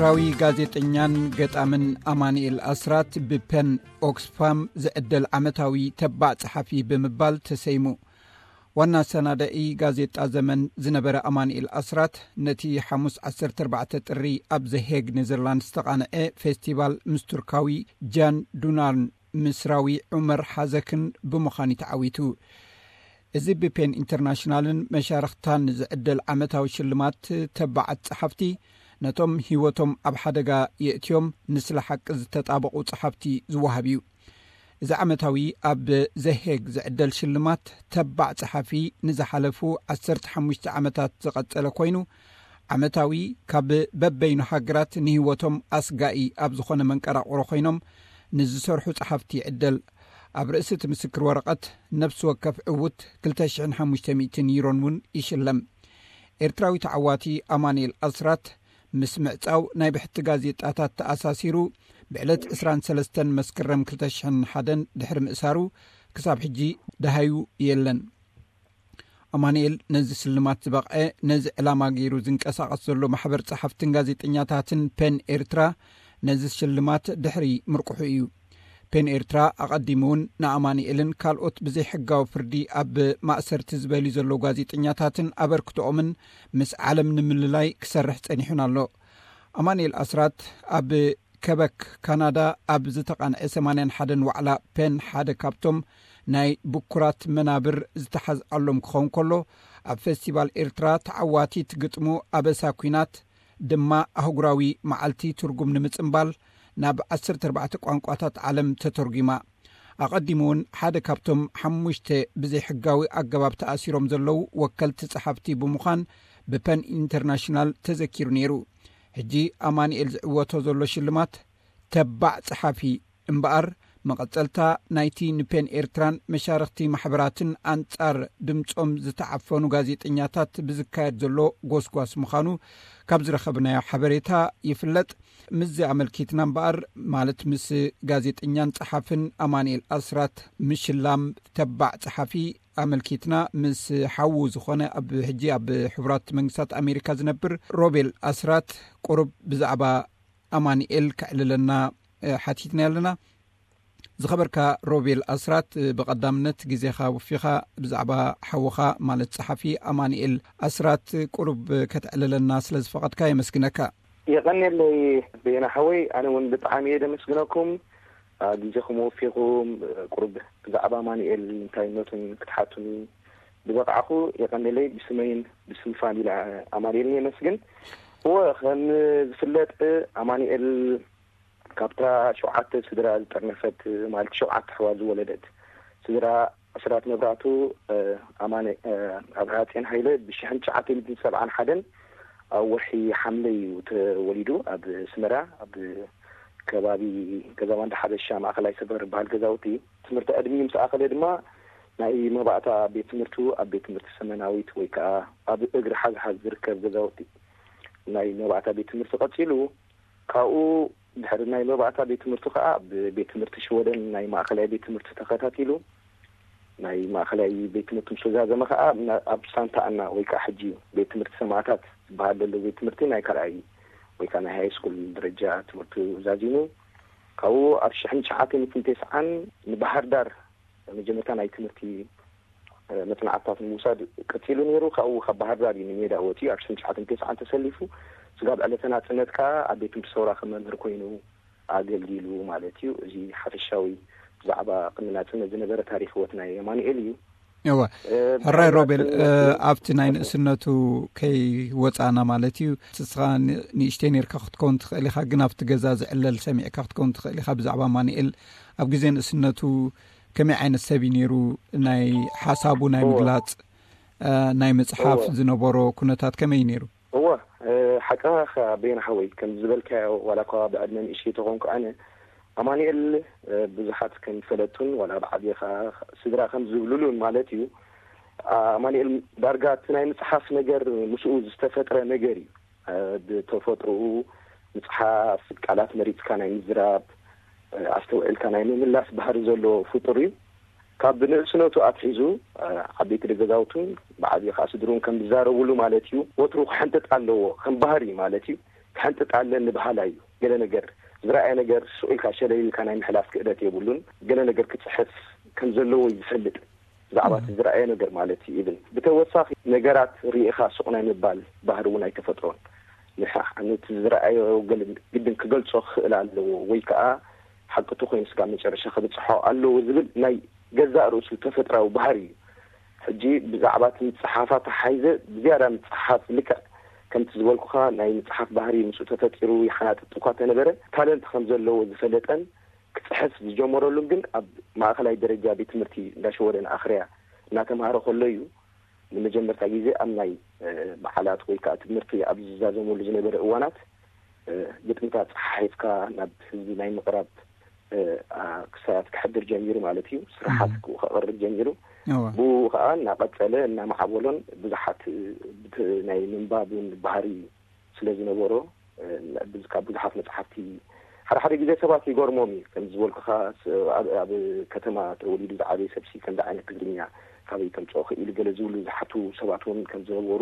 ኤርትራዊ ጋዜጠኛን ገጣምን ኣማኑኤል ኣስራት ብፐን ኦክስፋም ዝዕደል ዓመታዊ ተባዕ ጸሓፊ ብምባል ተሰይሙ። ዋና ኣሰናዳኢ ጋዜጣ ዘመን ዝነበረ ኣማኑኤል ኣስራት፣ ነቲ ሓሙስ ዓሰርተ ኣርባዕተ ጥሪ ኣብ ዘሄግ ኔዘርላንድ ዝተቓንዐ ፌስቲቫል ምስ ቱርካዊ ጃን ዱናን ምስራዊ ዑመር ሓዘክን ብምዃን እዩ ተዓዊቱ። እዚ ብፔን ኢንተርናሽናልን መሻርኽታን ዝዕደል ዓመታዊ ሽልማት ተባዓት ጸሓፍቲ፣ ነቶም ህይወቶም ኣብ ሓደጋ የእትዮም ንስለ ሓቂ ዝተጣበቑ ጸሓፍቲ ዝወሃብ እዩ። እዚ ዓመታዊ ኣብ ዘሄግ ዝዕደል ሽልማት ተባዕ ጸሓፊ ንዝሓለፉ ዓሰርተ ሓሙሽተ ዓመታት ዝቐጸለ ኮይኑ፣ ዓመታዊ ካብ በበይኑ ሃገራት ንህይወቶም ኣስጋኢ ኣብ ዝኾነ መንቀራቕሮ ኮይኖም ንዝሰርሑ ጸሓፍቲ ይዕደል። ኣብ ርእሲ እቲ ምስክር ወረቐት ነፍሲ ወከፍ ዕዉት ክልተ ሽሕን ሓሙሽተ ሚእትን ዩሮን እውን ይሽለም። ኤርትራዊ ተዓዋቲ ኣማኑኤል ኣስራት ምስ ምዕጻው ናይ ብሕቲ ጋዜጣታት ተኣሳሲሩ ብዕለት ዕስራን ሰለስተን መስከረም ክልተ ሽሕን ሓደን ድሕሪ ምእሳሩ ክሳብ ሕጂ ደሃዩ የለን። ኣማኑኤል ነዚ ስልማት ዝበቕዐ ነዚ ዕላማ ገይሩ ዝንቀሳቐስ ዘሎ ማሕበር ጸሓፍትን ጋዜጠኛታትን ፔን ኤርትራ ነዚ ሽልማት ድሕሪ ምርቁሑ እዩ። ፔን ኤርትራ ኣቐዲሙ እውን ንኣማኑኤልን ካልኦት ብዘይሕጋዊ ፍርዲ ኣብ ማእሰርቲ ዝበልዩ ዘለዉ ጋዜጠኛታትን ኣበርክቶኦምን ምስ ዓለም ንምልላይ ክሰርሕ ጸኒሑን ኣሎ። ኣማኑኤል ኣስራት ኣብ ከበክ ካናዳ ኣብ ዝተቓንዐ ሰማንያን ሓደን ዋዕላ ፔን ሓደ ካብቶም ናይ ብኩራት መናብር ዝተሓዝኣሎም ክኸውን ከሎ፣ ኣብ ፌስቲቫል ኤርትራ ተዓዋቲት ግጥሙ ኣበሳ ኲናት ድማ ኣህጉራዊ መዓልቲ ትርጉም ንምጽምባል ናብ ዓሰርተ ኣርባዕተ ቋንቋታት ዓለም ተተርጒማ። ኣቐዲሙ እውን ሓደ ካብቶም ሓሙሽተ ብዘይሕጋዊ ኣገባብ ተኣሲሮም ዘለዉ ወከልቲ ጸሓፍቲ ብምዃን ብፐን ኢንተርናሽናል ተዘኪሩ ነይሩ። ሕጂ ኣማኑኤል ዝዕወቶ ዘሎ ሽልማት ተባዕ ጸሓፊ እምበኣር፣ መቐጸልታ ናይቲ ንፔን ኤርትራን መሻርኽቲ ማሕበራትን ኣንጻር ድምጾም ዝተዓፈኑ ጋዜጠኛታት ብዝካየድ ዘሎ ጎስጓስ ምዃኑ ካብ ዝረኸብናዮ ሓበሬታ ይፍለጥ። ምስዚ ኣመልኪትና እምበኣር፣ ማለት ምስ ጋዜጠኛን ጸሓፍን ኣማኑኤል ኣስራት ምሽላም ተባዕ ጸሓፊ ኣመልኪትና ምስ ሓዉ ዝኾነ ኣብ ሕጂ ኣብ ሕቡራት መንግስታት ኣሜሪካ ዝነብር ሮቤል ኣስራት ቁሩብ ብዛዕባ ኣማኑኤል ከዕልለና፣ እ፣ ሓቲትና ኣለና። ዝኸበርካ ሮቤል ኣስራት፣ እ፣ ብቐዳምነት ግዜኻ ወፊኻ ብዛዕባ ሓውኻ ማለት ጸሓፊ ኣማኑኤል ኣስራት ቁሩብ ከተዕልለና ስለ ዝፈቐድካ የመስግነካ። የቐንየለይ በየነ ሓወይ፣ ኣነ እውን ብጣዕሚ እየ ደመስግነኩም። አ፣ ግዜኹም ወፊኹም፣ እ፣ ቁሩብ ብዛዕባ ኣማኑኤል እንታይነቱን ክትሓቱኒ ዝበቕዓኹ የቐንየለይ። ብስመይን ብስም ፋሚሊ ኣማኑኤልን የመስግን። እወ፣ ከም ዝፍለጥ ኣማኑኤል ካብታ ሸውዓተ ስድራ ዝጠርነፈት፣ ማለት ሸውዓተ ኣሕዋት ዝወለደት ስድራ ኣስራት መብራህቱ፣ እ፣ ኣማነ፣ እ፣ ኣብርሃ ጽዮን ሃይለ ብሽሕን ትሽዓተ ሚእትን ሰብዓን ሓደን ኣብ ወርሒ ሓምለ እዩ ተወሊዱ። ኣብ ስመራ፣ ኣብ ከባቢ ገዛ ባንዳ ሓበሻ ማእኸላይ ሰፈር በሃል ገዛውቲ። ትምህርቲ ዕድሚኡ ምስ ኣኸለ ድማ ናይ መባእታ ቤት ትምህርቱ ኣብ ቤት ትምህርቲ ሰመናዊት ወይ ከዓ ኣብ እግሪ ሓዝሓዝ ዝርከብ ገዛውቲ ናይ መባእታ ቤት ትምህርቲ ቀጺሉ፣ ካብኡ ድሕሪ ናይ መባእታ ቤት ትምህርቱ ከዓ ኣብ ቤት ትምህርቲ ሽወደን ናይ ማእኸላይ ቤት ትምህርቲ ተኸታቲሉ። ናይ ማእኸላይ ቤት ትምህርቲ ምስ ተዛዘመ ከዓ፣ ኣብ ሳንታ ኣና ወይ ከዓ ሕጂ ቤት ትምህርቲ ሰማእታት ዝበሃል ዘሎ ቤት ትምህርቲ ናይ ካልኣይ ወይ ከዓ ናይ ሃይ ስኩል ደረጃ ትምህርቱ ዛዚሙ። ካብኡ ኣብ ሽሕን ትሽዓተ ሚእትን ተስዓን ንባህር ዳር መጀመርታ ናይ ትምህርቲ፣ እ፣ መጽናዕትታት ንምውሳድ ቀጺሉ ነይሩ። ካብኡ ካብ ባህር ዳር እዩ ንሜዳ ወጺኡ ኣብ ሽሕን ትሽዓተ ሚእትን ተስዓን ተሰሊፉ። ስጋብ ዕለተ ናጽነት ከኣ ኣብ ቤት ትምህርቲ ሰውራ ከም መምህር ኮይኑ ኣገልጊሉ ማለት እዩ። እዚ ሓፈሻዊ ብዛዕባ ቅድሚ ናጽነት ዝነበረ ታሪኽ ህይወት ናይ ኣማኑኤል እዩ። እወ። እ፣ ሕራይ ድሕሪ ሮቤል፣ እ፣ ናጽነት ኣብቲ ናይ ንእስነቱ ከይወጻና ማለት እዩ። ንስኻ ን-፣ ንእሽተይ ነርካ ክትከውን ትኽእል ኢኻ፣ ግን ኣብቲ ገዛ ዝዕለል ሰሚዕካ ክትከውን ትኽእል ኢኻ። ብዛዕባ ኣማኑኤል ኣብ ግዜ ንእስነቱ ከመይ ዓይነት ሰብ እዩ ነይሩ? ናይ ሓሳቡ ናይ እወ። ምግላጽ፣ እ፣ ናይ ምጽሓፍ እወ። ዝነበሮ ኩነታት ከመይ እዩ ነይሩ? እወ፣ እ፣ ሓቅኻ ኢኻ በየነ ሓወይ፣ ከም ዝበልካዮ፣ ዋላ እኳ ብዕድመ ንእሽተይ ተኾንኩ ኣነ፣ ኣማኑኤል፣ እ፣ ብዙሓት ከም ዝፈለጡን ዋላ ብዓቢኻ ስድራ ከም ዝብሉሉን ማለት እዩ። ኣማኑኤል ዳርጋ እቲ ናይ ምጽሓፍ ነገር ምስኡ ዝተፈጥረ ነገር እዩ። እ፣ ብተፈጥሮኡ ምጽሓፍ፣ ቃላት መሪጽካ ናይ ምዝራብ፣ እ፣ ኣስተውዒልካ ናይ ምምላስ ባህሪ ዘለዎ ፍጡር እዩ። ካብ ንእስነቱ ኣትሒዙ፣ እ፣ ዓበይቲ ደገዛውቱን ብዓብዩ ከኣ ስድርኡን ከም ዝዛረብሉ ማለት እዩ፣ ወትሩ ክሕንጥጥ ኣለዎ፣ ከም ባህሪ ማለት እዩ። ሕንጥጥ ኣለኒ በሃላይ እዩ። ገለ ነገር ዝረኣየ ነገር ስቕ ኢልካ ሸለል ኢልካ ናይ ምሕላፍ ክእለት የብሉን። ገለ ነገር ክጽሕፍ ከም ዘለዎ እዩ ዝፈልጥ፣ ብዛዕባ እቲ ዝረኣየ ነገር ማለት እዩ። ኢብን ብተወሳኺ ነገራት ርኢኻ ስቕ ናይ ምባል ባህሪ እውን ኣይተፈጥሮን። ንሕ- ነቲ ዝረኣዮ ገለ ግድን ክገልጾ ክኽእል ኣለዎ፣ ወይ ከዓ ሓቂ ተኮይኑ ስጋብ መጨረሻ ክብጽሖ ኣለዎ ዝብል ናይ ገዛእ ርእሱ ተፈጥራዊ ባህሪ እዩ። ሕጂ ብዛዕባ እቲ ምጽሓፍ ኣተሓሒዘ ብዝያዳ ምጽሓፍ ልክዕ ከምቲ ዝበልኩኻ ናይ ምጽሓፍ ባህሪ ምስኡ ተፈጢሩ ይሓናጥጥ እኳ ተነበረ፣ ታለንት ከም ዘለዎ ዝፈለጠን ክጽሕፍ ዝጀመረሉን ግን ኣብ ማእኸላይ ደረጃ ቤት ትምህርቲ እንዳሸወደን ኣኽርያ እናተምሃረ ከሎ እዩ። ንመጀመርታ ግዜ ኣብ ናይ በዓላት ወይ ከዓ ትምህርቲ ኣብ ዝዛዘመሉ ዝነበረ እዋናት ግጥምታት ፀሓሒፍካ ናብ ህዝቢ ናይ ምቕራብ ክሳያት ክሕድር ጀሚሩ ማለት እዩ። ስራሓት ከቕርብ ጀሚሩ። ብኡ ከዓ እናቐፀለ እናማዕበሎን ብዙሓት ናይ ምንባብን ባህሪ ስለ ዝነበሮ ካብ ብዙሓት መፅሓፍቲ ሓደ ሓደ ግዜ ሰባት ይገርሞም እዩ። ከም ዝበልኩኻ ኣብ ከተማ ተወሊዱ ዝዓበየ ሰብሲ ከምዚ ዓይነት ትግርኛ ካበይ ከምፅኦ ክኢሉ ገለ ዝብሉ ዝሓቱ ሰባት እውን ከም ዝነበሩ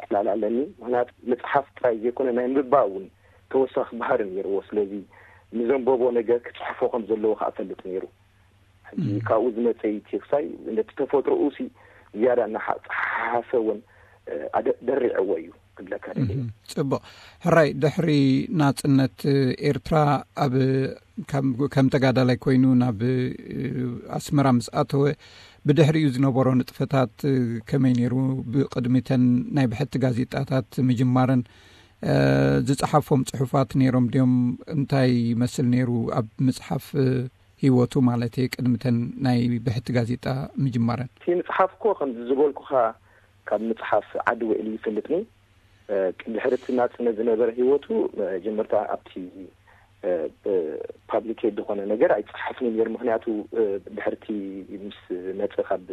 ዕላል ኣለኒ። ምክንያቱ ምፅሓፍ ጥራይ ዘይኮነ ናይ ምንባብ እውን ተወሳኺ ባህሪ ነይርዎ። ስለዚ ንዘንበቦ ነገር ክፅሕፎ ከም ዘለዎ ከዓ እፈልጥ ነይሩ። ሕጂ ካብኡ ዝመፀ እዩ እቲ ክሳይ ነቲ ተፈጥሮኡ ሲ ዝያዳ እናሓ- ፀሓሓሰ እውን ኣደ- ደሪዕዎ እዩ ክብለካ ደልየ። እም፣ ጽቡቕ። ሕራይ፣ ድሕሪ ናጽነት ኤርትራ ኣብ ከም ከም ተጋዳላይ ኮይኑ ናብ ኣስመራ ምስ ኣተወ፣ ብድሕሪኡ ዝነበሮ ንጥፈታት ከመይ ነይሩ? ብቕድሚተን ናይ ብሕቲ ጋዜጣታት ምጅማረን ዝጸሓፎም ጽሑፋት ነይሮም ድዮም? እንታይ ይመስል ነይሩ ኣብ ምጽሓፍ ህይወቱ ማለት እየ፣ ቅድሚ እተን ናይ ብሕቲ ጋዜጣ ምጅማረን? እቲ ምጽሓፍ እኮ ከምዚ ዝበልኩኻ ካብ ምጽሓፍ ዓዲ ውዒሉ ይፈልጥኒ። ድሕሪ እቲ ናጽነት ዝነበረ ህይወቱ መጀመርታ ኣብቲ ፓብሊኬት ዝኾነ ነገር ኣይጸሓፍን ነይሩ። ምክንያቱ ድሕርቲ ምስ መጸ ካብ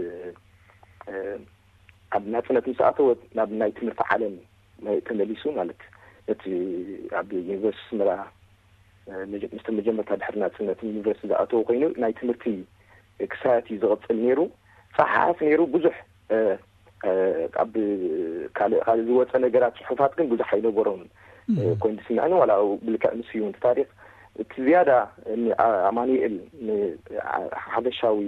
ኣብ ናጽነት ምስ ኣተወ ናብ ናይ ትምህርቲ ዓለም ተመሊሱ ማለት ነቲ ኣብ ዩኒቨርሲቲ ኣስመራ ምስቲ መጀመርታ ድሕሪ ናጽነት ዩኒቨርሲቲ ዝኣተወ ኮይኑ ናይ ትምህርቲ ክሳያት እዩ ዝቕጽል ነይሩ። ጸሓፍ ነይሩ። ብዙሕ ኣብ ካልእ ካልእ ዝወጸ ነገራት ጽሑፋት ግን ብዙሕ ኣይነበሮን። ኮይኑ ዝስምዐኒ ዋላ ብልክዕ ምስ እዩ ታሪክ እቲ ዝያዳ ኣማኑኤል ሓፈሻዊ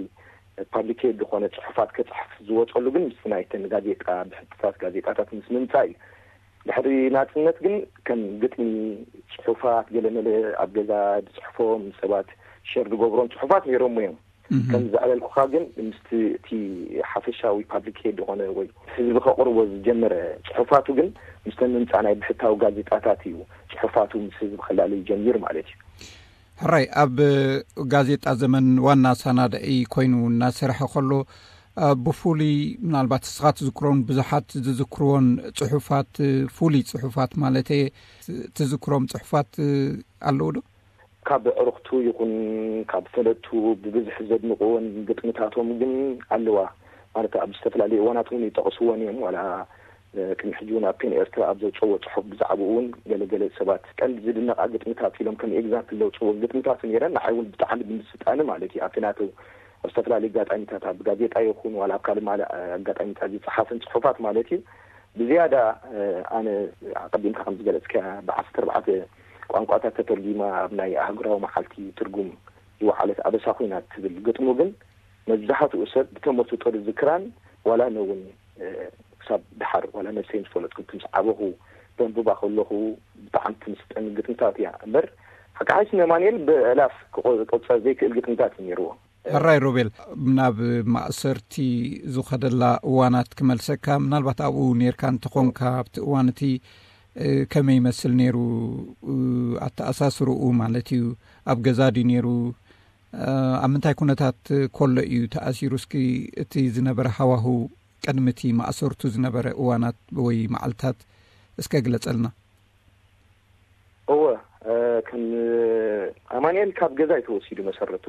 ፓብሊኬት ዝኾነ ጽሑፋት ክጽሕፍ ዝወጸሉ ግን ምስ ናይተን ጋዜጣ ብሕትታት ጋዜጣታት ምስ ምምጻእ እዩ። ድሕሪ ናጽነት ግን ከም ግጥሚ፣ ጽሑፋት፣ ገለመለ ኣብ ገዛ ዝጽሕፎም ሰባት ሸር ዝገብሮም ጽሑፋት ነይሮም እዮም። ከም ዘዕለልኩኻ ግን ምስቲ እቲ ሓፈሻዊ ፓብሊኬት ዝኾነ ወይ ህዝቢ ከቕርቦ ዝጀመረ ጽሑፋቱ ግን ምስተን ምምጻእ ናይ ብሕታዊ ጋዜጣታት እዩ ጽሑፋቱ ምስ ህዝቢ ከላልይ ጀሚሩ ማለት እዩ። ሕራይ፣ ኣብ ጋዜጣ ዘመን ዋና ኣሳናዳኢ ኮይኑ እናሰርሐ ከሎ ብፍሉይ ምናልባት እስኻ ትዝክሮን ብዙሓት ዝዝክርዎን ጽሑፋት፣ ፍሉይ ጽሑፋት ማለት እየ፣ ትዝክሮም ጽሑፋት ኣለዉ ዶ? ካብ ኣዕሩኽቱ ይኹን ካብ ፈለጥቱ ብብዝሒ ዘድንቕወን ግጥምታቶም ግን ኣለዋ። ማለት ኣብ ዝተፈላለዩ እዋናት እውን ይጠቕስወን እዮም። ዋላ ቅድሚ ሕጂ እውን ኣብ ፔን ኤርትራ ኣብ ዘውፀዎ ፅሑፍ ብዛዕባኡ እውን ገለገለ ሰባት ቀንዲ ዝድነቓ ግጥምታት ኢሎም ከም ኤግዛምፕል ዘውፅዎ ግጥምታት ነይረን። ንዓይ እውን ብጣዕሚ ብምስጣኒ ማለት እዩ ኣብቲ ናተው ኣብ ዝተፈላለዩ ኣጋጣሚታት ኣብ ጋዜጣ ይኹን ዋላ ኣብ ካልእ ማለ ኣጋጣሚታት ዝፀሓፍን ፅሑፋት ማለት እዩ። ብዝያዳ ኣነ ኣቐዲምካ ከም ዝገለፅካ ብዓሰርተ ኣርባዕተ ቋንቋታት ተተርጊማ ኣብ ናይ ኣህጉራዊ መዓልቲ ትርጉም ዝወዓለት ኣበሳ ኮይና ትብል ግጥሙ ግን መብዛሕትኡ ሰብ ብተመስጦ ዝዝክራን ዋላ ነውን ክሳብ ድሓር ዋላ ነብሰይ ምስ ፈለጥኩ ምስ ዓበኹ በንብባ ከለኹ ብጣዕሚ ትምስጠኒ ግጥምታት እያ እምበር ሓቂ ሓይሲ ነማንኤል ብእላፍ ክቆፀር ዘይክእል ግጥምታት እዩ ነይርዎ። ሕራይ ሮቤል፣ ናብ ማእሰርቲ ዝኸደላ እዋናት ክመልሰካ፣ ምናልባት ኣብኡ ነይርካ እንተኾንካ ኣብቲ እዋን እቲ ከመይ ይመስል ነይሩ ኣተኣሳስርኡ ማለት እዩ? ኣብ ገዛ ድዩ ነይሩ? ኣብ ምንታይ ኩነታት ከሎ እዩ ተኣሲሩ? እስኪ እቲ ዝነበረ ሃዋሁ ቅድሚ እቲ ማእሰርቱ ዝነበረ እዋናት ወይ መዓልታት እስከ ግለጸልና። እወ፣ ከም ኣማንኤል ካብ ገዛ እዩ ተወሲዱ መሰረቱ።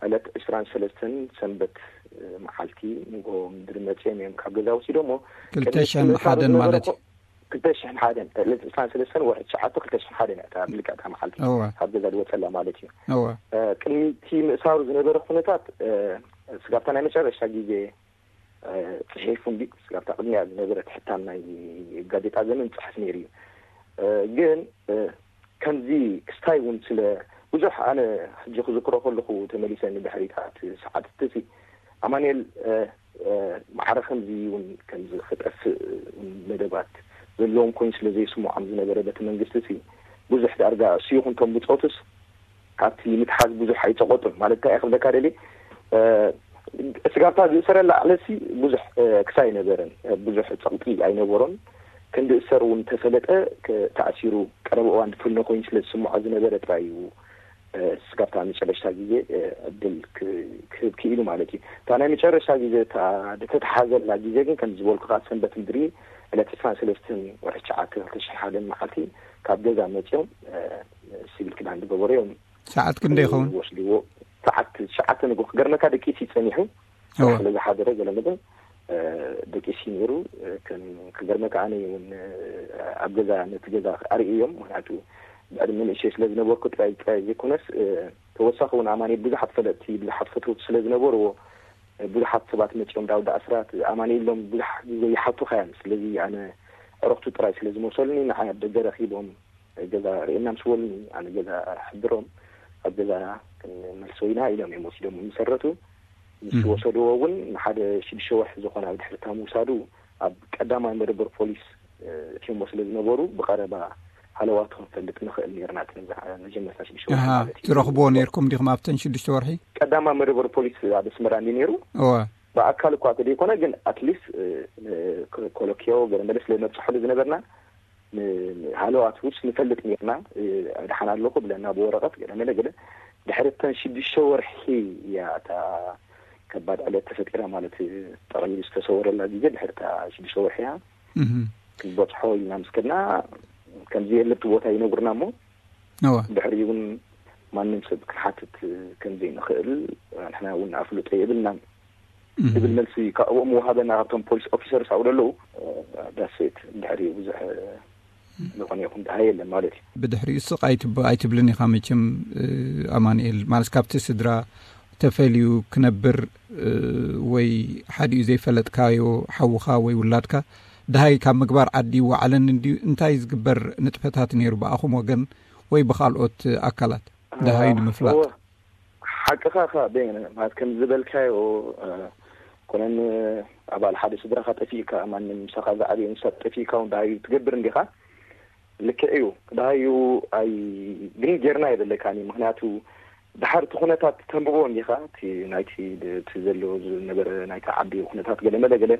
ዕለት ዕስራን ሰለስተን ሰንበት መዓልቲ ንጎ ምድሪ መፅኦም እዮም ካብ ገዛ ወሲዶሞ። ክልተ ሽሕን ሓደን ማለት እዩ። ክልተ ሽሕን ሓደን ዕለት ዕስራን ሰለስተን ወርሒ ትሽዓተ ክልተ ሽሕን ሓደን እያ እታ ብልክዕ እታ መዓልቲ እወ። ካብ ገዛ ዝወፀላ ማለት እዩ። እወ። ቅድሚ እቲ ምእሳሩ ዝነበረ ኩነታት ስጋብታ ናይ መጨረሻ ግዜ ፅሒፉ እንዲ ስጋብታ ቅድሚያ ዝነበረት ሕታም ናይ ጋዜጣ ዘመን ፅሕፍ ነይሩ እዩ። ግን ከምዚ ክስታይ እውን ስለ ብዙሕ ኣነ ሕጂ ክዝክሮ ከለኹ ተመሊሰ ንድሕሪታት ሰዓትትሲ ኣማንኤል ማዕረ ከምዚ እውን ከምዚ ክጠፍእ እውን መደባት ዘለዎም ኮይኑ ስለ ዘይስምዖም ዝነበረ በቲ መንግስቲ ሲ ብዙሕ ዳርጋ እሱ ይኹን ቶም ብፆቱስ ካብቲ ምትሓዝ ብዙሕ ኣይፀቆጡን። ማለት እንታይ ክብለካ ደሊ ስጋብታ ዝእሰረላ ዕለሲ ብዙሕ ክሳ ኣይነበረን፣ ብዙሕ ፀቕጢ ኣይነበሮን። ክንዲ እሰር እውን ተፈለጠ ተኣሲሩ ቀረብ እዋን ድፍኖ ኮይኑ ስለ ዝስምዖ ዝነበረ ጥራይ እዩ ስጋብታ መጨረሽታ ግዜ ዕድል ክህብ ክኢሉ ማለት እዩ። እታ ናይ መጨረሽታ ግዜ ዝተተሓዘላ ግዜ ግን ከም ዝበልኩ ካብ ሰንበት ምድሪ ዕለት ዕስራን ሰለስትን ወርሒ ትሽዓተ ክልተ ሽሕ ሓደን መዓልቲ ካብ ገዛ መፅኦም ሲቪል ክዳን ዝገበሩ እዮም። ሰዓት ክንደ ይኸውን? ወስድዎ። ሰዓት ትሽዓተ ንግሆ ክገርመካ ደቂሲ ይፀኒሑ ስለ ዝሓደረ ገለ መገን ደቂሲ ነይሩ። ክገርመካ ኣነ እውን ኣብ ገዛ ነቲ ገዛ ኣርእዮም። ምክንያቱ ብዕድመ ንእሽተይ ስለ ዝነበርኩ ጥራይ ጥራይ ዘይኮነስ ተወሳኺ እውን ኣማኒ ብዙሓት ፈለጥቲ ብዙሓት ፈትውቲ ስለ ዝነበርዎ ብዙሓት ሰባት መፂኦም ዳውዳ ኣስራት ኣማኒ ኢሎም ብዙሕ ግዜ ይሓቱኻ እዮም። ስለዚ ኣነ ዕረክቱ ጥራይ ስለ ዝመሰሉኒ ንዓይ ኣብ ደገ ረኪቦም ገዛ ርእና ምስ በሉኒ ኣነ ገዛ ሕድሮም ኣብ ገዛ ክንመልሶ ኢና ኢሎም እዮም ወሲዶም ዝሰረቱ። ምስ ወሰድዎ እውን ንሓደ ሽዱሽተ ወርሒ ዝኾነ ኣብ ድሕርታ ምውሳዱ ኣብ ቀዳማይ መደበር ፖሊስ እትዮሞ ስለ ዝነበሩ ብቐረባ ሃለዋቱ ክንፈልጥ ንኽእል ነርና። መጀመርታ ሽዱሽተ ወርሒ ማለት እዩ። ትረኽብዎ ነርኩም ዲኹም ኣብተን ሽዱሽተ ወርሒ? ቀዳማይ መደበር ፖሊስ ኣብ ኣስመራ እንዲ ነይሩ። እወ። ብኣካል እኳ ተደይኮነ ግን ኣትሊስት ኮሎኪዮ ገለ መለ ስለ ነብፅሐሉ ዝነበርና ሃለዋት ውስ ንፈልጥ ነርና። ድሓን ኣለኹ ብለና ብወረቐት ገለ መለ ገለ ድሕሪ እተን ሽዱሽተ ወርሒ እያ እታ ከባድ ዕለት ተፈጢራ ማለት ጠቕሊሉ ዝተሰወረላ ግዜ ድሕሪ እታ ሽዱሽተ ወርሒ እያ። ክንበፅሖ ኢልና ምስ ከድና ከምዚ የለብቲ ቦታ ይነግሩና እሞ ድሕሪ እውን ማንም ሰብ ክንሓትት ከምዘይንኽእል ንሕና እውን ኣፍልጦ የብልናን ዝብል መልሲ ካብኦም ምውሃበና ካብቶም ፖሊስ ኦፊሰርስ ኣብኡ ዘለዉ ዳሴት ድሕሪ ብዙሕ ዝኾነ ይኹን ድሃ የለን ማለት እዩ። ብድሕሪኡ ስቕ ኣይትብልን ኢኻ መቸም ኣማንኤል ማለት ካብቲ ስድራ ተፈልዩ ክነብር ወይ ሓዲኡ ዘይፈለጥካዮ ሓውኻ ወይ ውላድካ ድሃይ ካብ ምግባር ዓዲ ይወዓለን እንድዩ እንታይ ዝግበር ንጥፈታት ነይሩ ብኣኹም ወገን ወይ ብካልኦት ኣካላት ድሃዩ ንምፍላጥ? ሓቅኻ ኻ ማለት ከም ዝበልካዮ ኮነን ኣባል ሓደ ስድራኻ ጠፊእካ ማንም ምሳኻ ዝዓበየ ንሳ ጠፊእካ እውን ድሃዩ ትገብር እንዲኻ። ልክዕ እዩ። ድሃዩ ኣይ ግን ጌርና የበለካኒ ምክንያቱ ድሓር እቲ ኩነታት ተንብቦ እንዲኻ እቲ ናይቲ እቲ ዘሎ ዝነበረ ናይቲ ዓዲ ኩነታት ገለ መለ ገለ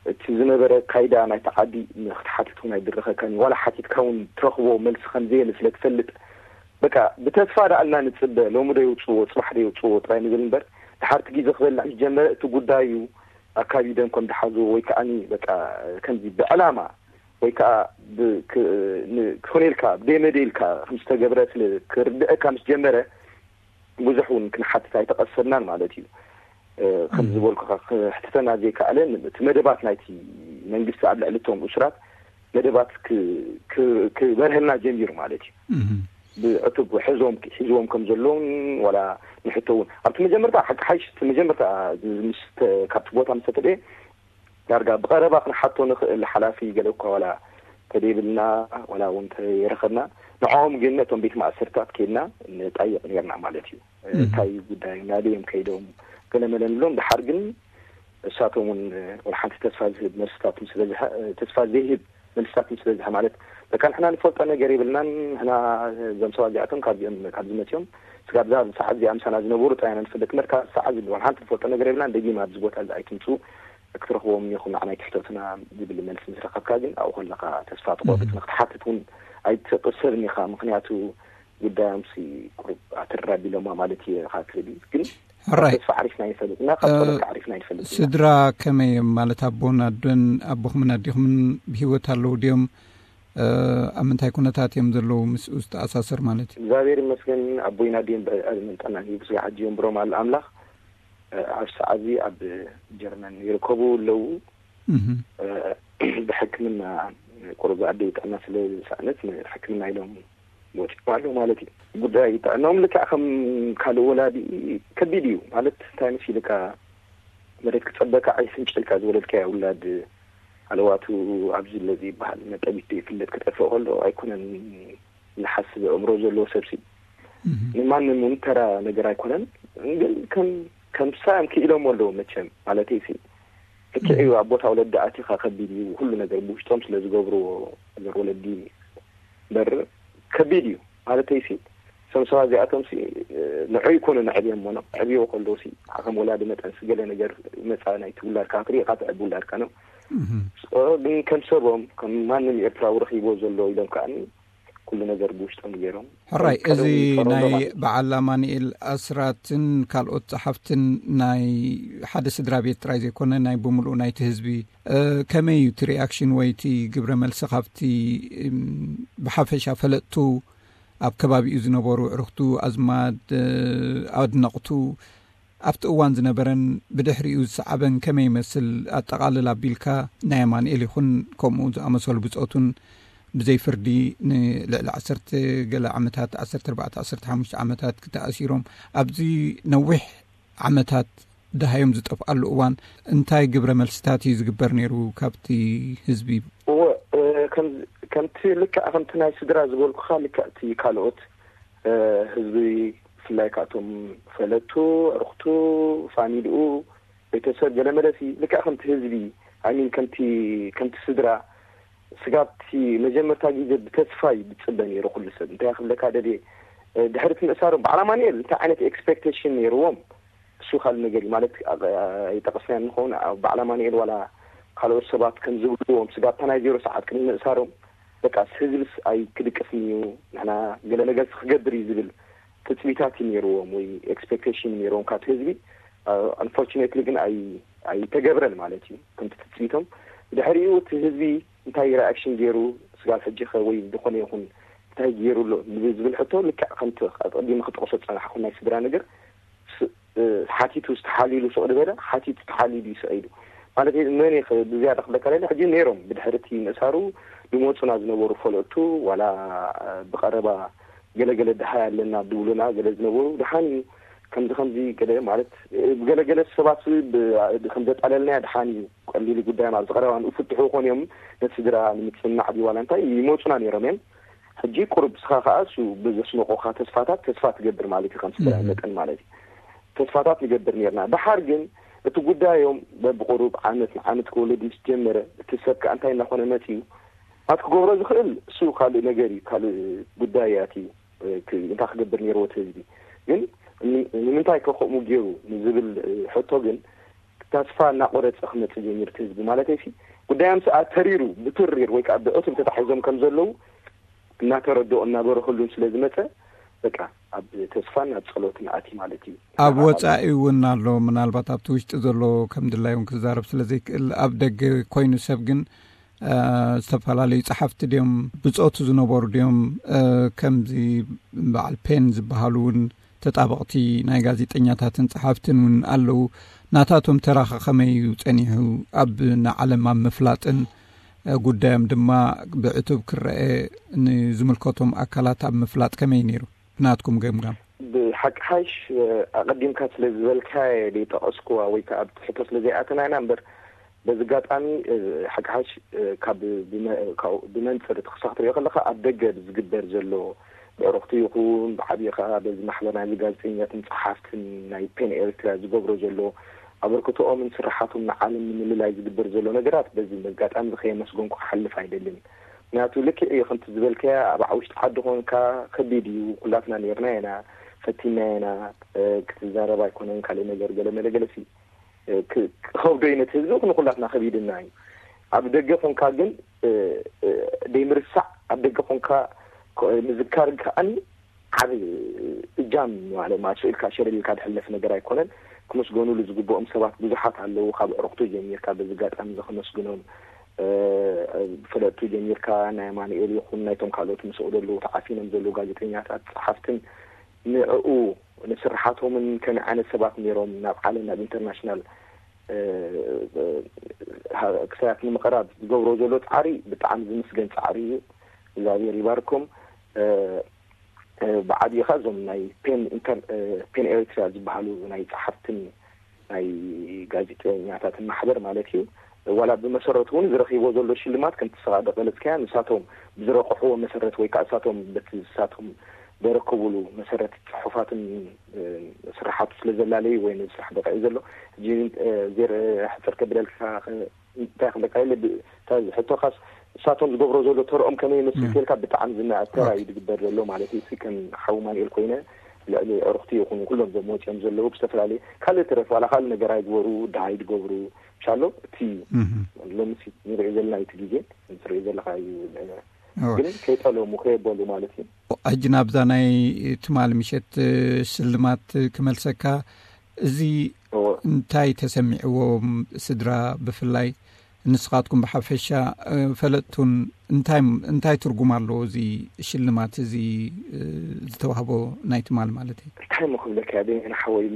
እቲ ዝነበረ ካይዳ ናይቲ ዓዲ ንክትሓትት እውን ኣይድረኸካን እዩ። ዋላ ሓቲትካ እውን ትረኽቦ መልሲ ከም ዘየለ ስለ ትፈልጥ በቃ ብተስፋ ደኣ እና ንፅበ ሎሚ ዶ የውፅዎ ፅባሕ ዶ የውፅዎ ጥራይ ንብል እምበር ድሓርቲ ግዜ ክበልዕ ምስ ጀመረ እቲ ጉዳይ እዩ ኣካቢዶም ከም ዝሓዝዎ ወይ ከዓ በቃ ከምዚ ብዕላማ ወይ ከዓ ክኾነ ኢልካ ብደይ መደ ኢልካ ከም ዝተገብረ ስለ ክርድአካ ምስ ጀመረ ብዙሕ እውን ክንሓትት ኣይተቐሰብናን ማለት እዩ። ከም ዝበልኩኻ ክሕትተና ዘይከኣለ እቲ መደባት ናይቲ መንግስቲ ኣብ ልዕሊ እቶም እሱራት መደባት ክበርሀልና ጀሚሩ ማለት እዩ። ብዕቱብ ሕዞም ሒዝዎም ከም ዘለውን ዋላ ንሕቶ እውን ኣብቲ መጀመርታ ሓቂ ሓይሽ እቲ መጀመርታ ምስ ካብቲ ቦታ ምስ ተተደየ ዳርጋ ብቐረባ ክንሓቶ ንኽእል ሓላፊ ገለ እኳ ዋላ ተደይብልና ዋላ እውን ተይረኸብና ንዕኦም ግን ነቶም ቤት ማእሰርታት ከይድና ንጣይቕ ነርና ማለት እዩ። እንታይ ጉዳይ ናበይ እዮም ከይዶም ገለ መለ ንብሎም ድሓር ግን እሳቶም እውን ወላ ሓንቲ ተስፋ ዝህብ መልስታት ተስፋ ዘይህብ መልስታት ምስ በዝሐ ማለት በቃ ንሕና ንፈልጦ ነገር የብልናን ንሕና እዞም ሰባት እዚኣቶም ካብዚኦም ካብዚ መፅኦም ስጋብ እዛ ሰዓት እዚኣ ምሳና ዝነበሩ ጥራይ ኢና ንፈልጥ እምበር ካብ ሰዓት ዝብል ወላ ሓንቲ ንፈልጦ ነገር የብልናን ደጊም ኣብዚ ቦታ እዚ ኣይትምፅኡ ክትረኽቦም እኒኹም ንዓና ኣይትሕተቱና ዝብል መልሲ ምስ ረኸብካ ግን ኣብኡ ከለኻ ተስፋ ትቆርፅ ንክትሓትት እውን ኣይትቕሰብን ኢኻ ምክንያቱ ጉዳዮምሲ ቁሩብ ኣትር ኣቢሎማ ማለት እየ ኢኻ ትብል ግን ሕራይ ተስፋ ዓሪፍና ይፈልጥ እና ካብ ጸሎት ዓሪፍና ይፈልጥ እና ስድራ ከመይ እዮም ማለት ኣቦን ኣዶን ኣቦኹምን ኣዲኹምን ብህይወት ኣለዉ ድዮም ኣብ ምንታይ ኩነታት እዮም ዘለዉ ምስኡ ዝተኣሳሰር ማለት እዩ እግዚኣብሔር ይመስገን ኣቦይን ኣዴን ብዕድመን ጥዕናን ሂቡ ስጋዕ ሕጂ የንብሮም ኣሎ ኣምላኽ ኣብ ሰዓት እዚ ኣብ ጀርመን ይርከቡ ኣለዉ ብሕክምና ቁሩብ ኣደይ ጥዕና ስለ ዝሰኣነት ንሕክምና ኢሎም ወፂኦም ኣለዉ ማለት እዩ። ጉዳይ ጥዕናኦም ልክዕ ከም ካልእ ወላዲ ከቢድ እዩ ማለት እንታይ መሲልካ መሬት ክፀበካ ዓይስን ጨልካ ዝወለድካያ ውላድ ኣለዋቱ ኣብዚ ለዚ ይበሃል፣ ነጠቢት ዘይፍለጥ ክጠፍእ ከሎ ኣይኮነን ዝሓስብ ኣእምሮ ዘለዎ ሰብሲ። ንማንም እውን ተራ ነገር ኣይኮነን። ግን ከም ከም ሳም ክኢሎም ኣለዉ መቸም፣ ማለተይ ሲ ልክዕ እዩ። ኣብ ቦታ ወለዲ ኣቲኻ ከቢድ እዩ፣ ኩሉ ነገር ብውሽጦም ስለ ዝገብርዎ፣ ነገር ወለዲ በር ከቢድ እዩ። ማለተይ ሲ እቶም ሰባት እዚኣቶም ሲ ንዑ ይኮኑ ነዕብዮም ሞኖ ዕብዮ ከለዉ ሲ ከም ወላዲ መጠን ሲ ገለ ነገር መፃ ናይቲ ውላድካ ክትሪኢካ ትዕቢ ውላድካ ነው። ግን ከም ሰቦም ከም ማንም ኤርትራዊ ረኺቦ ዘሎ ኢሎም ከዓኒ ኩሉ ነገር ብውሽጦም ገይሮም። ሕራይ፣ እዚ ናይ በዓል ኣማኒኤል ኣስራትን ካልኦት ጸሓፍትን ናይ ሓደ ስድራ ቤት ጥራይ ዘይኮነ ናይ ብምሉኡ ናይቲ ህዝቢ፣ ከመይ እዩ እቲ ሪኣክሽን ወይ እቲ ግብረ መልሲ ካብቲ ብሓፈሻ ፈለጥቱ ኣብ ከባቢኡ ዝነበሩ ኣዕሩኽቱ ኣዝማድ ኣድነቕቱ ኣብቲ እዋን ዝነበረን ብድሕሪኡ ዝሰዓበን ከመይ ይመስል ኣጠቓልል ኣቢልካ ናይ ኣማንኤል ይኹን ከምኡ ዝኣመሰሉ ብጾቱን ብዘይ ፍርዲ ንልዕሊ ዓሰርተ ገለ ዓመታት ዓሰርተ ኣርባዕተ ዓሰርተ ሓሙሽተ ዓመታት ክተኣሲሮም ኣብዚ ነዊሕ ዓመታት ደሃዮም ዝጠፍኣሉ እዋን እንታይ ግብረ መልስታት እዩ ዝግበር ነይሩ ካብቲ ህዝቢ? እወ፣ ከምቲ ልክዕ ከምቲ ናይ ስድራ ዝበልኩኻ ልክዕ እቲ ካልኦት ህዝቢ ብፍላይ ካብቶም ፈለጥቱ፣ ኣዕሩኽቱ፣ ፋሚልኡ፣ ቤተሰብ ገለመለሲ ልክዕ ከምቲ ህዝቢ ኣይሚን ከምቲ ከምቲ ስድራ ስጋብቲ መጀመርታ ግዜ ብተስፋ እዩ ዝፅበ ነይሩ ኩሉ ሰብ። እንታይ ክብለካ ደልየ ድሕሪ እቲ ምእሳሮም በዓል ኣማንኤል እንታይ ዓይነት ኤክስፔክቴሽን ነይርዎም እሱ ካልእ ነገር እዩ ማለት ኣይጠቀስናዮ ንኸውን በዓል ኣማንኤል ዋላ ካልኦት ሰባት ከም ዝብልዎም ስጋብታ ናይ ዜሮ ሰዓት ቅድሚ ምእሳሮም በቃ ህዝብስ ኣይክድቅስን እዩ ንሕና ገለ ነገርስ ክገብር እዩ ዝብል ትፅቢታት እዩ ነይርዎም ወይ ኤክስፔክቴሽን ነይርዎም ካብቲ ህዝቢ። ኣንፎርቹኔትሊ ግን ኣይተገብረን ማለት እዩ ከምቲ ትፅቢቶም። ድሕሪኡ እቲ ህዝቢ እንታይ ሪኣክሽን ገይሩ ስጋብ ሕጂ ከ ወይ ዝኾነ ይኹን እንታይ ገይሩ ኣሎ ንዝብል ሕቶ ልክዕ ከምቲ ኣቀዲመ ክጠቕሶ ዝፀናሕኩ ናይ ስድራ ነገር ሓቲቱ ዝተሓሊሉ ሱቕ ዝበለ ሓቲቱ ተሓሊሉ ይስዒዱ ማለት መን ብዝያዳ ክብለካ ለለ ሕጂ ነይሮም ብድሕሪ እቲ ምእሳሩ ዝመፁና ዝነበሩ ፈለጥቱ ዋላ ብቐረባ ገለገለ ድሃይ ኣለና ድብሉና ገለ ዝነበሩ ድሓን እዩ ከምዚ ከምዚ ገለ ማለት ብገለገለ ሰባት ከም ዘጣለልናያ ድሓን እዩ ቀሊሉ ጉዳይ ማለት ዝቐረባ ንኡ ፍትሑ ኮን እዮም ነቲ ስድራ ንምፅናዕ ድዩ ዋላ እንታይ ይመፁና ነይሮም እዮም ሕጂ ቁሩብ ስኻ ከዓ እሱ ብዘስነቆካ ተስፋታት ተስፋ ትገብር ማለት እዩ ከም ስድራ መጠን ማለት እዩ ተስፋታት ንገብር ነርና ድሓር ግን እቲ ጉዳዮም በብቁሩብ ዓመት ንዓመት ክወለድ ምስ ጀመረ እቲ ሰብ ከዓ እንታይ እናኾነ መፅዩ ማለት ክገብሮ ዝኽእል እሱ ካልእ ነገር እዩ ካልእ ጉዳይ ኣትዩ እንታይ ክገብር ነይርዎ እቲ ህዝቢ ግን ንምንታይ ከ ከምኡ ገይሩ ንዝብል ሕቶ ግን ተስፋ እናቆረፀ ክመፅእ ጀሚሩ እቲ ህዝቢ ማለት ሲ ጉዳዮም ሰኣ ተሪሩ ብትሪር ወይ ከዓ ብዕቱብ ተታሒዞም ከም ዘለዉ እናተረድኦ እናበረኸሉን ስለ ዝመፀ በቃ ኣብ ተስፋን ኣብ ፀሎትን ኣትዩ ማለት እዩ ኣብ ወፃኢ እውን ኣሎ ምናልባት ኣብቲ ውሽጢ ዘሎ ከም ድላዮም ክዛረብ ስለ ዘይክእል ኣብ ደገ ኮይኑ ሰብ ግን ዝተፈላለዩ ጸሓፍቲ ድዮም ብጾቱ ዝነበሩ ድዮም ከምዚ በዓል ፔን ዝበሃሉ እውን ተጣበቕቲ ናይ ጋዜጠኛታትን ጸሓፍትን እውን ኣለዉ ናታቶም ተራኸ ከመይ እዩ ጸኒሑ ኣብ ንዓለም ኣብ ምፍላጥን ጉዳዮም ድማ ብዕቱብ ክረአ ንዝምልከቶም ኣካላት ኣብ ምፍላጥ ከመይ ነይሩ ብናትኩም ገምጋም ብሓቂ ሓይሽ ኣቐዲምካ ስለ ዝበልካ ዘይጠቐስኩዋ ወይ ከዓ ኣብቲ ሕቶ ስለ ዘይኣተና ኢና እምበር በዚ ኣጋጣሚ ሓቂ ሓይሽ ካብ ብመንፅር እቲ ክሳብ ትሪኦ ከለካ ኣብ ደገ ዝግበር ዘሎ ብዕሩኽቲ ይኹን ብዓብዪ ከዓ በዚ ማሕበር ናይ ጋዜጠኛትን ፀሓፍትን ናይ ፔን ኤርትራ ዝገብሮ ዘሎ ኣበርክቶኦምን ስራሓቶም ንዓለም ንምልላይ ዝግበር ዘሎ ነገራት በዚ ኣጋጣሚ ከየመስገንኩ ክሓልፍ ኣይደልን ምክንያቱ ልክዕ እዩ ከምቲ ዝበልካያ ኣብ ውሽጢ ዓዲ ኮንካ ከቢድ እዩ ኩላትና ነርና ኢና ፈቲና ኢና ክትዛረብ ኣይኮነን ካልእ ነገር ገለ መለ ገለ ሲ ክኸብዶ እዩ ነቲ ህዝቢ ንኩላትና ከቢድና እዩ ኣብ ደገ ኮንካ ግን ደይምርሳዕ ኣብ ደገ ኮንካ ምዝካር ከዓኒ ዓብ እጃም ማለት ማለት ኢልካ ሸለል ኢልካ ዝሕለፍ ነገር ኣይኮነን ክመስገኑሉ ዝግብኦም ሰባት ብዙሓት ኣለዉ ካብ ዕሩኽቱ ጀሚርካ በዚ ኣጋጣሚ እዚ ከመስግኖም ብፈለጥቱ ጀሚርካ ናይ ኣማኑኤል ይኹን ናይቶም ካልኦት ምስኡ ዘለዉ ተዓፊኖም ዘለዉ ጋዜጠኛታት ጸሓፍትን ንዕኡ ንስርሓቶምን ከመይ ዓይነት ሰባት ነይሮም ናብ ዓለም ናብ ኢንተርናሽናል ክሳያት ንምቕራብ ዝገብሮ ዘሎ ፃዕሪ ብጣዕሚ ዝምስገን ፃዕሪ እዩ እግዚኣብሔር ይባርኩም ብዓብይኻ እዞም ናይ ፔን ኤርትራ ዝበሃሉ ናይ ፀሓፍትን ናይ ጋዜጠኛታትን ማሕበር ማለት እዩ ዋላ ብመሰረቱ እውን ዝረኺቦ ዘሎ ሽልማት ከምቲ ስኻ ደቐለጽካያ ንሳቶም ብዝረቕሕዎ መሰረት ወይ ከዓ ንሳቶም በቲ ንሳቶም ዘረከቡሉ መሰረት ጽሑፋትን ስራሓቱ ስለ ዘላለዩ ወይ ነዚ ስራሕ በቂዑ ዘሎ ሕጂ ዘር ሕፅር ከብለልካ እንታይ ክብለካ ኢለ ሕቶኻስ ንሳቶም ዝገብሮ ዘሎ ተርኦም ከመይ ይመስል ተልካ ብጣዕሚ ዝናኣድ ተራ እዩ ዝግበር ዘሎ ማለት እዩ። ከም ሓው ማንኤል ኮይነ ልዕሊ ዕርኽቲ ይኹኑ ኩሎም ዘመወፅኦም ዘለዉ ብዝተፈላለዩ ካልእ ተረፍ ዋላ ካልእ ነገር ኣይግበሩ ድሃይ ዝገብሩ ሻሎ እቲ ሎምሲ ንሪኦ ዘለና እቲ ግዜ ንሪኦ ዘለካ እዩ። ግን ከይጠለሙ ከየበሉ ማለት እዩ። ሕጂ ናብዛ ናይ ትማል ምሸት ስልማት ክመልሰካ፣ እዚ እንታይ ተሰሚዕዎም ስድራ ብፍላይ ንስኻትኩም ብሓፈሻ ፈለጥቱን እንታይ እንታይ ትርጉም ኣለዎ እዚ ሽልማት እዚ ዝተዋህቦ ናይ ትማል ማለት እዩ? እንታይ ሞ ክብለካ እየ ሓወይ፣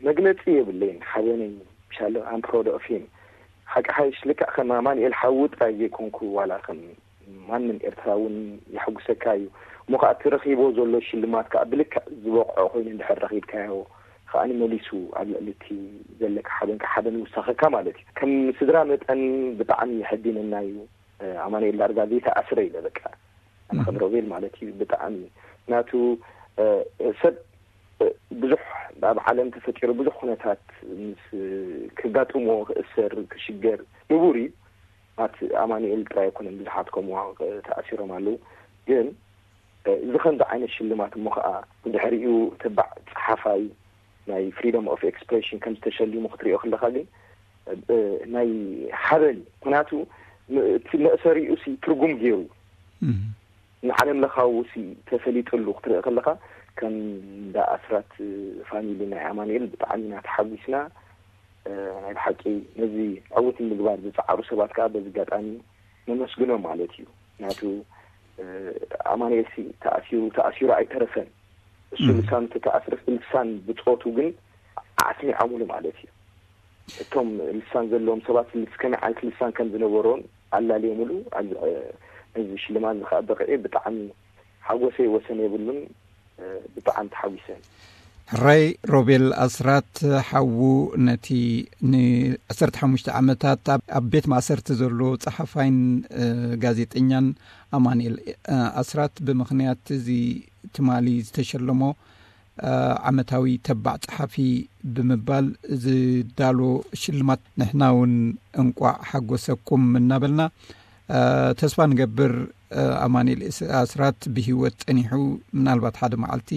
መግለፂ የብለይን ሓበነይ። ሻሎ ኣም ፕሮድ ኦፍ ሂም ሓቂ ሓይሽ ልክዕ ከም ኣማንኤል ሓዉ ጥራይ ዘይኮንኩ ዋላ ከም ማንም ኤርትራ እውን የሐጉሰካ እዩ። እሞ ከዓ እቲ ረኺቦ ዘሎ ሽልማት ከዓ ብልክዕ ዝበቕዖ ኮይኑ እንድሕር ረኺብካዮ ከዓ መሊሱ ኣብ ልዕሊ እቲ ዘለካ ሓበን ከዓ ሓበን ይውሳኸካ ማለት እዩ። ከም ስድራ መጠን ብጣዕሚ የሐዲነና እዩ። ኣማንኤል ዳርጋ ዘይተኣስረ ኢለ በቃ ኣነ ከም ሮቤል ማለት እዩ ብጣዕሚ ናቱ ሰብ ብዙሕ ኣብ ዓለም ተፈጢሩ ብዙሕ ኩነታት ምስ ክጋጥሞ ክእሰር ክሽገር ንቡር እዩ። ኣት ኣማኑኤል ጥራይ ኣይኮነን ብዙሓት ከምኡ ተኣሲሮም ኣለዉ። ግን እዚ ከምዚ ዓይነት ሽልማት እሞ ከዓ ብድሕሪኡ ተባዕ ፀሓፋይ ናይ ፍሪደም ኦፍ ኤክስፕሬሽን ከም ዝተሸሊሙ ክትሪኦ ከለካ ግን ናይ ሓበን ምክንያቱ እቲ መእሰሪኡ ሲ ትርጉም ገይሩ ንዓለም ለኻዊ ሲ ተፈሊጥሉ ክትርኢ ከለካ ከም እንዳ ኣስራት ፋሚሊ ናይ ኣማኑኤል ብጣዕሚ ኢና ተሓጒስና። ናይ ብሓቂ ነዚ ዕውት ንምግባር ዝፀዓሩ ሰባት ከዓ በዚ ኣጋጣሚ ነመስግኖም ማለት እዩ። ምክንያቱ ኣማኑኤል ሲ ተኣሲሩ ተኣሲሩ ኣይተረፈን። እሱ ልሳኑ ተተኣስረስ ልሳን ብፆቱ ግን ኣስሚዖምሉ ማለት እዩ። እቶም ልሳን ዘለዎም ሰባት ከመይ ዓይነት ልሳን ከም ዝነበሮን ኣላልዮምሉ ነዚ ሽልማት እዚ ከዓ በቂዑ ብጣዕሚ ሓጎሰይ ወሰን የብሉን። ብጣዕሚ ተሓጒሰ። ሕራይ ሮቤል ኣስራት ሓዉ ነቲ ን15 ዓመታት ኣብ ቤት ማእሰርቲ ዘሎ ጸሓፋይን ጋዜጠኛን ኣማኑኤል ኣስራት ብምኽንያት እዚ ትማሊ ዝተሸለሞ ዓመታዊ ተባዕ ጸሓፊ ብምባል ዝዳሎ ሽልማት ንሕና እውን እንቋዕ ሓጎሰኩም እናበልና ተስፋ ንገብር ኣማኑኤል ኣስራት ብህይወት ጸኒሑ ምናልባት ሓደ መዓልቲ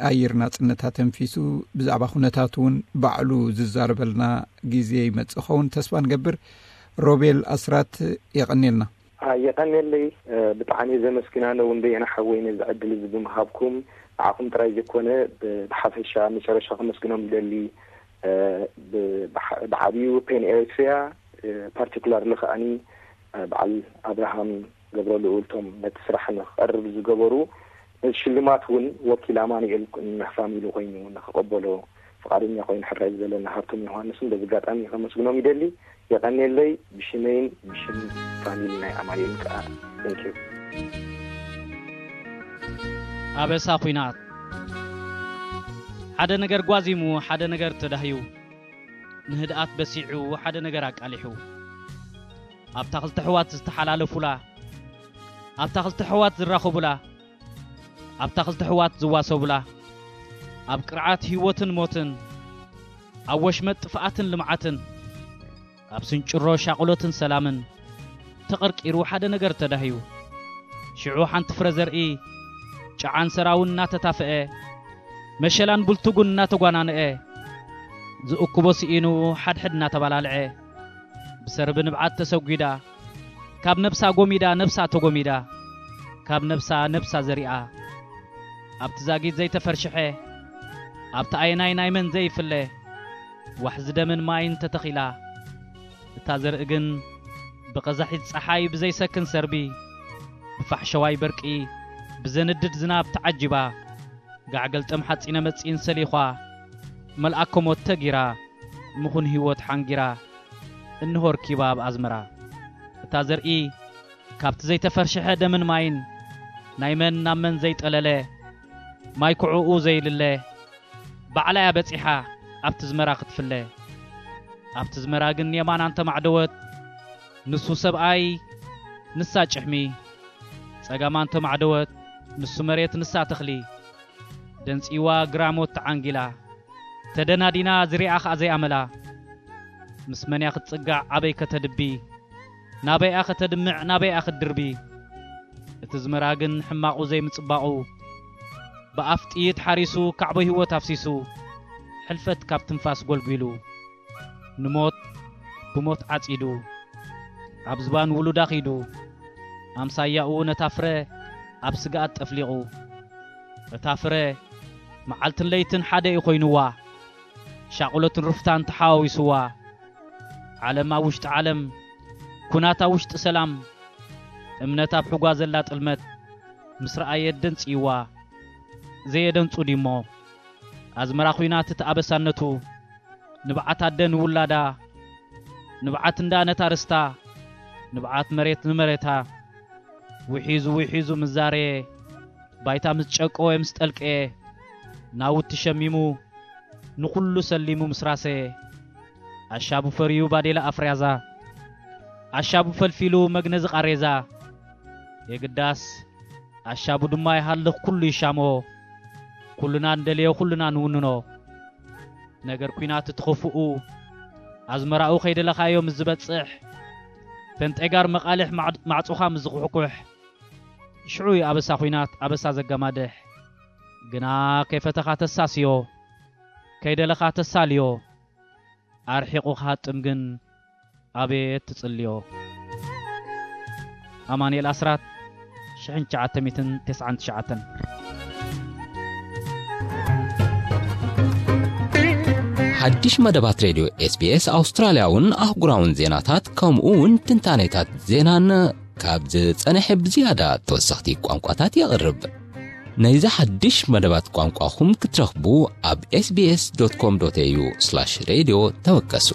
ኣየር ናጽነት ኣተንፊሱ ብዛዕባ ኩነታት እውን ባዕሉ ዝዛረበልና ግዜ ይመጽእ ኸውን ተስፋ ንገብር። ሮቤል ኣስራት የቐንየልና። የቐንየለይ። ብጣዕሚ እየ ዘመስግን ኣነ እውን በየነ ሓወይ ነዚ ዕድል እዚ ብምሃብኩም ንዓኹም ጥራይ ዘይኮነ ብሓፈሻ መጨረሻ ከመስግኖም ይደሊ። ብዓብዩ ፔን ኤሪትሪያ ፓርቲኩላርሊ ከዓኒ በዓል ኣብርሃም ገብረልኡል እቶም ነቲ ስራሕ ንክቐርብ ዝገበሩ ነዚ ሽልማት እውን ወኪል ኣማኑኤል ንፋሚሊ ኮይኑ ንክቐበሎ ፍቓደኛ ኮይኑ ሕራይ ዝበለና ሃብቶም ዮሃንስን በዚ ኣጋጣሚ ከመስግኖም ይደሊ። የቐንየለይ ብሽመይን ብሽም ፋሚሊ ናይ ኣማኑኤልን ከዓ። Thank you። ኣበሳ ኲናት ሓደ ነገር ጓዚሙ ሓደ ነገር ተዳህዩ ንህድኣት በሲዑ ሓደ ነገር ኣቃሊሑ ኣብታ ክልተ ኣሕዋት ዝተሓላለፉላ ኣብታ ክልተ ኣሕዋት ዝራኸቡላ ኣብታ ክልተ ኣሕዋት ዝዋሰቡላ ኣብ ቅርዓት ህይወትን ሞትን ኣብ ወሽመጥ ጥፍኣትን ልምዓትን ኣብ ስንጭሮ ሻቕሎትን ሰላምን ተቐርቂሩ ሓደ ነገር ተዳህዩ። ሽዑ ሓንቲ ፍረ ዘርኢ ጨዓን ሰራውን እናተታፍአ መሸላን ቡልትጉን እናተጓናንአ ዝእክቦ ስኢኑ ሓድሕድ እናተባላልዐ ብሰርቢ ንብዓት ተሰጒዳ ካብ ነብሳ ጎሚዳ ነብሳ ተጎሚዳ ካብ ነብሳ ነብሳ ዘሪኣ ኣብቲ ዛጊት ዘይተፈርሽሐ ኣብቲ ኣየናይ ናይ መን ዘይፍለ ዋሕዚ ደምን ማይን ተተኺላ እታ ዘርኢ ግን ብቐዛሒት ጸሓይ ብዘይሰክን ሰርቢ ብፋሕሸዋይ በርቂ ብዘንድድ ዝናብ ተዓጂባ ጋዕገልጠም ሓጺነ መጺን ሰሊዃ መልኣከ ሞት ተጊራ ምኹን ህይወት ሓንጊራ እንሆ ርኪባ ኣብ ኣዝመራ እታ ዘርኢ ካብቲ ዘይተፈርሸሐ ደምን ማይን ናይ መን ናብ መን ዘይጠለለ ማይ ኩዕኡ ዘይልለ ባዕላ እያ በጺሓ ኣብቲ ዝመራ ክትፍለ ኣብቲ ዝመራ ግን የማን ኣንተማዕደወት ንሱ ሰብኣይ፣ ንሳ ጭሕሚ። ጸጋማ እንተማዕደወት፣ ንሱ መሬት፣ ንሳ ተኽሊ። ደንጺዋ ግራሞት ተዓንጊላ። ተደናዲና ዝሪኣ ኸኣ ዘይኣመላ። ምስ መንያ ክትጽጋዕ ኣበይ ከተድቢ? ናበይኣ ከተድምዕ ናበይኣ ክትድርቢ? እቲ ዝመራ ግን ሕማቑ ዘይምጽባቑ። ብኣፍ ጥይት ሓሪሱ ካዕቦ ህይወት ኣፍሲሱ። ሕልፈት ካብ ትንፋስ ጎልጒሉ። ንሞት ብሞት ዓጺዱ። ኣብ ዝባን ውሉዳ ኺዱ። ኣምሳያኡ ነታ ፍረ ኣብ ስግኣት ጠፍሊቑ። እታ ፍረ መዓልትን ለይትን ሓደ እዩ ኮይኑዋ። ሻቑሎትን ሩፍታን ተሓዋዊስዋ። ዓለም ኣብ ውሽጢ ዓለም፣ ኩናት ኣብ ውሽጢ ሰላም። እምነት ኣብ ሕጓ ዘላ ጥልመት ምስ ረኣየት ደንጽይዋ። ዘየደንጹ ድዩሞ ኣዝመራ ኹናት እቲ ኣበሳነቱ። ንብዓት ኣደ ንውላዳ፣ ንብዓት እንዳ ነታ ርስታ፣ ንብዓት መሬት ንመሬታ። ውሒዙ ውሒዙ ምስ ዛረየ፣ ባይታ ምስ ጨቀወ ምስ ጠልቀየ፣ ናውቲ ሸሚሙ ንኹሉ ሰሊሙ ምስ ራሰየ። ኣሻቡ ፈርዩ ባዴላ ኣፍርያዛ፣ ኣሻቡ ፈልፊሉ መግነዚ ቃሬዛ። የግዳስ ኣሻቡ ድማ ይሃልኽ ኩሉ ይሻሞ። ኩልና እንደልዮ ኩልና ንውንኖ። ነገር ኲናት እቲ ኽፉኡ፣ ኣዝመራኡ ከይደለኻዮ ምስ ዝበጽሕ፣ ፈንጤጋር መቓልሕ ማዕ-፣ ማዕጾኻ ምስ ዝኹሕኩሕ፣ ሽዑ እዩ ኣበሳ ኲናት ኣበሳ ዘገማድሕ። ግና ከይፈተኻ ተሳስዮ፣ ከይደለኻ ተሳልዮ፣ ኣርሒቑ ክሃጥም ግን ኣቤት ትጽልዮ። ኣማኑኤል ኣስራት፣ ሽሕን ትሽዓተ ሚእትን ተስዓን ትሽዓተን። ሓድሽ መደባት ሬድዮ ኤስቢኤስ ኣውስትራልያውን ኣህጉራውን ዜናታት፣ ከምኡ እውን ትንታኔታት ዜናን ካብ ዝጸንሐ ብዝያዳ ተወሰኽቲ ቋንቋታት የቕርብ። ነዚ ሓድሽ መደባት ቋንቋኹም ክትረኽቡ፣ ኣብ ኤስቢኤስ ዶት ኮም ዶት ኤዩ ስላሽ ሬድዮ ተወከሱ።